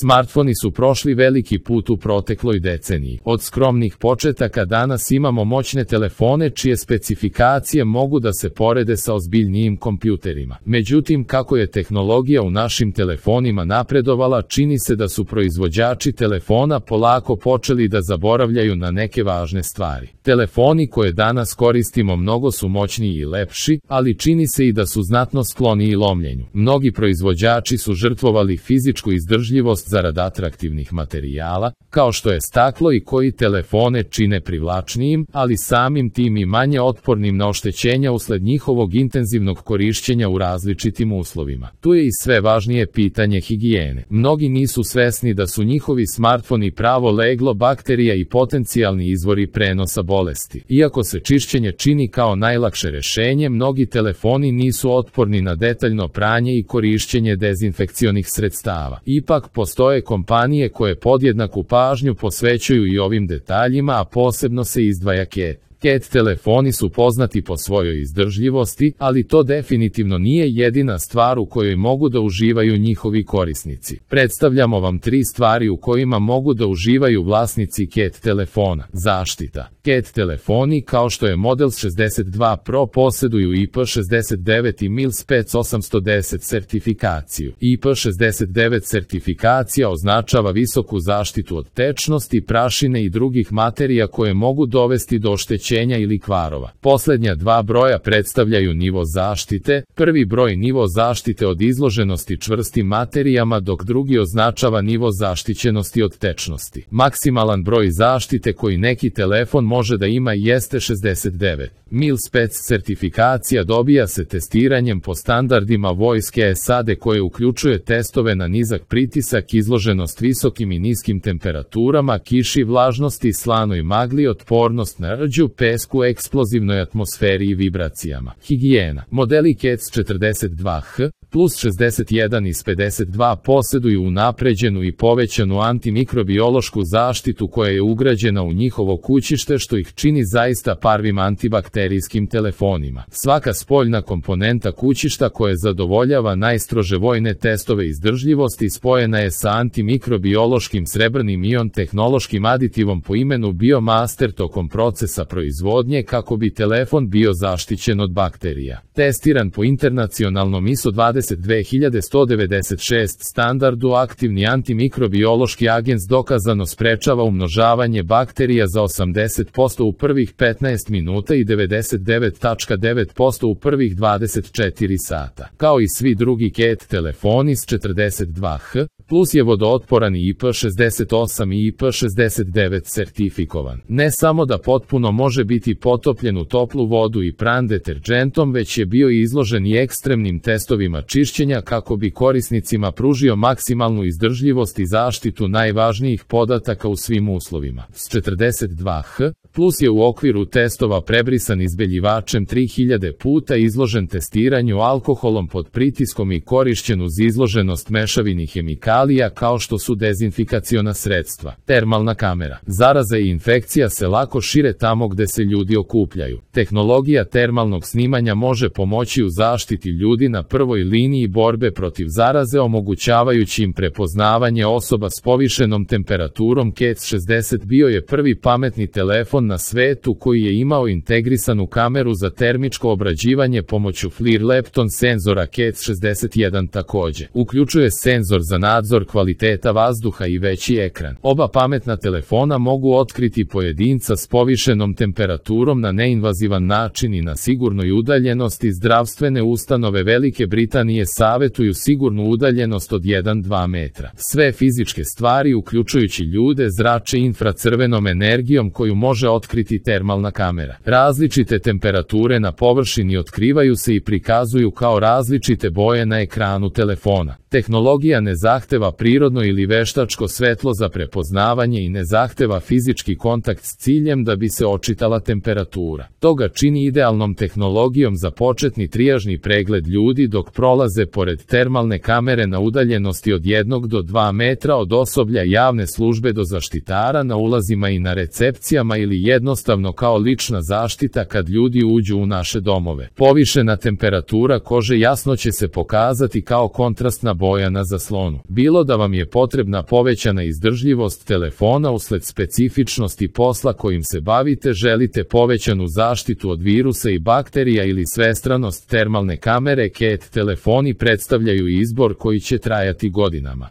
Smartfoni su prošli veliki put u protekloj deceniji. Od skromnih početaka danas imamo moćne telefone čije specifikacije mogu da se porede sa ozbiljnijim kompjuterima. Međutim, kako je tehnologija u našim telefonima napredovala, čini se da su proizvođači telefona polako počeli da zaboravljaju na neke važne stvari. Telefoni koje danas koristimo mnogo su moćniji i lepši, ali čini se i da su znatno skloniji lomljenju. Mnogi proizvođači su žrtvovali fizičku izdržljivost zarad atraktivnih materijala, kao što je staklo, i koji telefone čine privlačnijim, ali samim tim i manje otpornim na oštećenja usled njihovog intenzivnog korišćenja u različitim uslovima. Tu je i sve važnije pitanje higijene. Mnogi nisu svesni da su njihovi smartfoni pravo leglo bakterija i potencijalni izvori prenosa bolesti. Iako se čišćenje čini kao najlakše rešenje, mnogi telefoni nisu otporni na detaljno pranje i korišćenje dezinfekcionih sredstava. Ipak postoje kompanije koje podjednaku pažnju posvećuju i ovim detaljima, a posebno se izdvaja CAT telefoni su poznati po svojoj izdržljivosti, ali to definitivno nije jedina stvar u kojoj mogu da uživaju njihovi korisnici. Predstavljamo vam 3 stvari u kojima mogu da uživaju vlasnici CAT telefona. Zaštita. CAT telefoni, kao što je Model 62 Pro, posjeduju IP69 i MIL-SPEC 810 sertifikaciju. IP69 sertifikacija označava visoku zaštitu od tečnosti, prašine i drugih materija koje mogu dovesti do oštećenja ili kvarova. Posljednja 2 broja predstavljaju nivo zaštite. Prvi broj nivo zaštite od izloženosti čvrstim materijama, dok drugi označava nivo zaštićenosti od tečnosti. Maksimalan broj zaštite koji neki telefon može da ima jeste 69. MIL-SPEC sertifikacija dobija se testiranjem po standardima Vojske SAD koje uključuje testove na nizak pritisak, izloženost visokim i niskim temperaturama, kiši, vlažnosti, slanoj magli, otpornost na rđu, pesku, eksplozivnoj atmosferi i vibracijama. Higijena. Modeli CAT 42H plus 61 iz 52 posjeduju unapređenu i povećanu antimikrobiološku zaštitu koja je ugrađena u njihovo kućište, što ih čini zaista prvim antibakterijskim telefonima. Svaka spoljna komponenta kućišta koja zadovoljava najstrože vojne testove izdržljivosti spojena je sa antimikrobiološkim srebrnim ion tehnološkim aditivom po imenu Biomaster tokom procesa proizvodnje kako bi telefon bio zaštićen od bakterija. Testiran po internacionalnom ISO 22196 standardu, aktivni antimikrobiološki agens dokazano sprečava umnožavanje bakterija za 80% u prvih 15 minuta i 99,9% u prvih 24 sata. Kao i svi drugi CAT telefoni s 42H, plus je vodootporan i IP68 i IP69 sertifikovan. Ne samo da potpuno može biti potopljen u toplu vodu i pran deterđentom, već je bio izložen i ekstremnim testovima čišćenja kako bi korisnicima pružio maksimalnu izdržljivost i zaštitu najvažnijih podataka u svim uslovima. S 42H, plus je u okviru testova prebrisan izbeljivačem 3000 puta, izložen testiranju alkoholom pod pritiskom i korišćen uz izloženost mešavini hemikalija kao što su dezinfikaciona sredstva. Termalna kamera. Zaraza i infekcija se lako šire tamo gde se ljudi okupljaju. Tehnologija termalnog snimanja može pomoći u zaštiti ljudi na prvoj liniji borbe protiv zaraze, omogućavajući im prepoznavanje osoba s povišenom temperaturom. CAT 60 bio je prvi pametni telefon na svetu koji je imao integrisanu kameru za termičko obrađivanje pomoću FLIR-Lepton senzora. CAT 61 takođe uključuje senzor za nadzor kvaliteta vazduha i veći ekran. Oba pametna telefona mogu otkriti pojedinca s povišenom temperaturom na neinvazivan način i na sigurnoj udaljenosti. Zdravstvene ustanove Velike Britanije savetuju sigurnu udaljenost od 1-2 metra. Sve fizičke stvari, uključujući ljude, zrače infracrvenom energijom koju može otkriti termalna kamera. Različite temperature na površini otkrivaju se i prikazuju kao različite boje na ekranu telefona. Tehnologija ne zahteva prirodno ili veštačko svetlo za prepoznavanje i ne zahteva fizički kontakt s ciljem da bi se očitala temperatura. To ga čini idealnom tehnologijom za početni trijažni pregled ljudi dok prolaze prolaze pored termalne kamere na udaljenosti od 1 do 2 metra od osoblja javne službe do zaštitara na ulazima i na recepcijama ili jednostavno kao lična zaštita kad ljudi uđu u naše domove. Povišena temperatura kože jasno će se pokazati kao kontrastna boja na zaslonu. Bilo da vam je potrebna povećana izdržljivost telefona usled specifičnosti posla kojim se bavite, želite povećanu zaštitu od virusa i bakterija ili svestranost termalne kamere, CAT telefoni predstavljaju izbor koji će trajati godinama.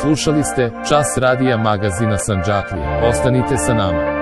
Slušali ste Čas radija magazina Sandžaklija. Ostanite sa nama.